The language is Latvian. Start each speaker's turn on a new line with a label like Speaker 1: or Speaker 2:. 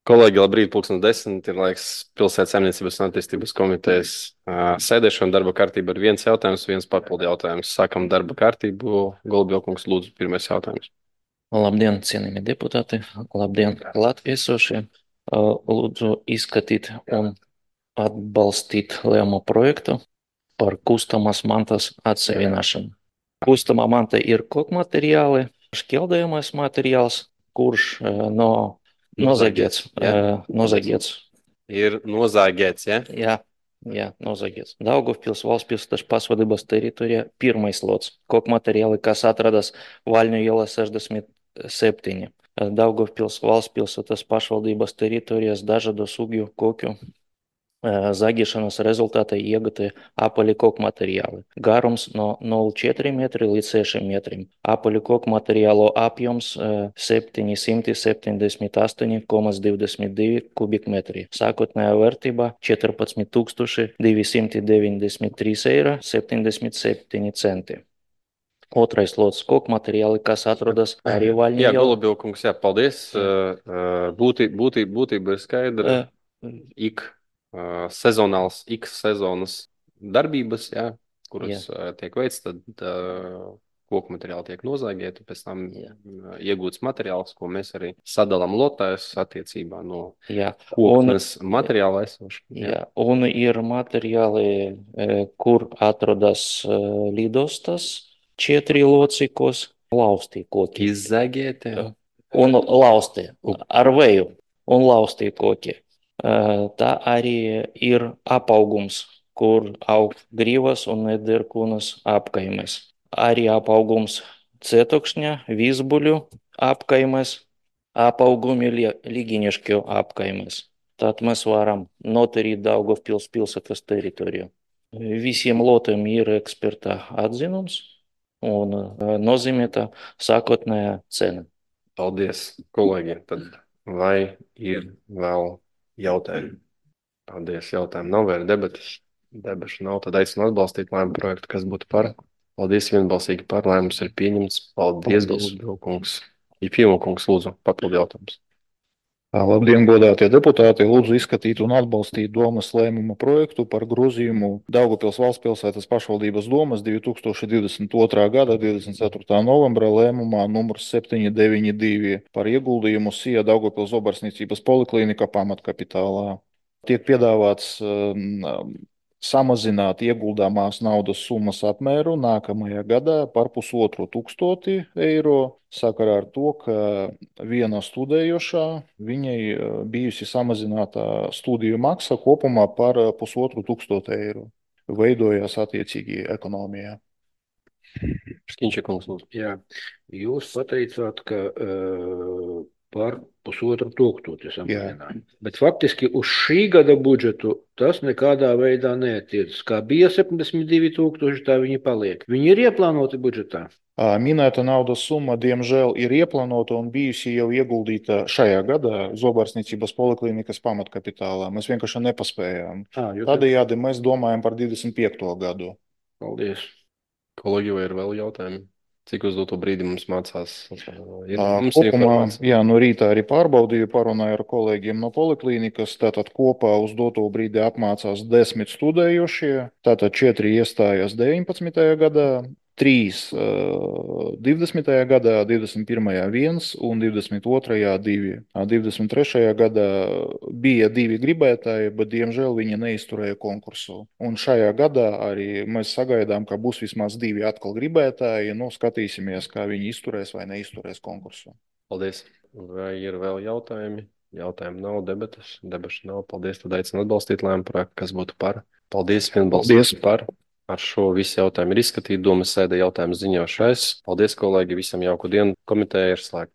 Speaker 1: Kolēģi, labrīt, 10:10. Ir laiks Pilsētas saimniecības un attīstības komitejas sēdēšana. Darba kārtība ir viens jautājums, viens papildu jautājums. Sākam darba kārtību. Golubjaukungs, lūdzu, pirmais jautājums.
Speaker 2: Labdien, cienījamie deputāti! Labdien, latviesošie! Lūdzu izskatīt un atbalstīt lēmumu projektu par kustamās mantas atseviināšanu. Kustamā manta ir kokmateriāli, šķeldējamais materiāls, kurš nozagiets. Nozagiets.
Speaker 1: Ir nozāģēts, ja?
Speaker 2: Jā, nozagiets. Daugavpils valstspilsētas pašvaldības teritorijā pirmais lots. Kokmateriāli, kas atrodas Vaļņu ielā 67. Daugavpils valstspilsētas pašvaldības teritorijās dažādu sugu koku zagiešanas rezultātā iegūti apaļi kokmateriāli. Garums no 0,4 metri līdz 6 metriem. Apaļu kokmateriālu apjoms 778,22 kubikmetri. Sākotnējā vērtība 14 293,77 eiro. Otrais lots kokmateriāli, kas atrodas arī Vaļņu
Speaker 1: Jā,
Speaker 2: ielā.
Speaker 1: Golubjaukungs, jā, paldies. Būtība ir skaidra. Sezonāls X sezonas darbības, jā, kuras tiek veikts, tad koku materiāli tiek nozāģēti, pēc tam iegūts materiāls, ko mēs arī sadalām lotēs attiecībā no koknes materiāla esošana.
Speaker 2: Jā, un ir materiāli, kur atrodas lidostas, 4 locikos, laustī koki.
Speaker 1: Izzāģēti.
Speaker 2: Un laustī, ar vēju, un laustī koki. Tā arī ir apaugums, kur aug grīvas un nederkūnas apkaimes. Arī apaugums cietokšņa, vizbuļu apkaimes, apaugumi līginišķu apkaimes. Tad mēs varam noturīt Daugavpils pilsētas teritoriju. Visiem lotiem ir eksperta atzinums un nozīmēta sākotnējā cena.
Speaker 1: Paldies, kolēģi. Tad vai ir vēl jautājumi? Paldies, jautājumi nav, vēl debašu nav, tad aicinu atbalstīt lēmumu projektu, kas būtu par. Paldies, vienbalsīgi par, lēmums ir pieņemts. Paldies, Golubjaukungs. Jefimokungs, lūdzu, papildu jautājums.
Speaker 3: Labdien, godātie deputāti! Lūdzu izskatīt un atbalstīt domas lēmuma projektu par grozījumu Daugavpils valstspilsētas pašvaldības domas 2022. gada 24. novembra lēmumā numurs 792 par ieguldījumu SIA Daugavpils Zobarsniecības poliklinika pamatkapitālā. Tiek piedāvāts samazināt ieguldāmās naudas summas apmēru nākamajā gadā par 1,5 eiro sakarā ar to, ka viena studējošā viņai bijusi samazināta studiju maksa kopumā par 1,5 eiro. Veidojās attiecīgi ekonomijā.
Speaker 1: Škiņčekungs, lūdzu.
Speaker 4: Jā, jūs pateicāt, ka par 1,5 samazinājums. Bet faktiski uz šī gada budžetu tas nekādā veidā neatiecas. Kā bija 72,000, tā viņi paliek. Viņi ir ieplānoti budžetā.
Speaker 3: Minēta naudas summa, diemžēl, ir ieplānota un bijusi jau ieguldīta šajā gadā Zobarsniecības poliklinikas pamatkapitālā. Mēs vienkārši nepaspējām. Tādējādi mēs domājam par 25. gadu.
Speaker 4: Paldies.
Speaker 1: Kolēģi, vai ir vēl jautājumi? Cik uz doto brīdi mums mācās?
Speaker 3: Kopumā, jā, no rītā arī pārbaudīju, parunāju ar kolēģiem no poliklīnikas. Tātad kopā uz doto brīdi apmācās 10 studējošie. Tātad 4 iestājās 19. gadā, 3 20. gadā, 21. 1 un 22. 2. 23. gadā bija 2 gribētāji, bet diemžēl viņi neizturēja konkursu. Un šajā gadā arī mēs sagaidām, ka būs vismaz 2 atkal gribētāji. Nu, skatīsimies, kā viņi izturēs vai neizturēs konkursu.
Speaker 1: Paldies. Vai ir vēl jautājumi? Jautājumi nav, debašu nav. Paldies, tad aicinu atbalstīt lēmumu projektu, kas būtu par. Paldies, vienbalsīgi par. Ar šo visu jautājumu ir izskatīti. Domas sēde jautājumu ziņošais. Paldies, kolēģi, visam jauku dienu. Komiteja ir slēgta.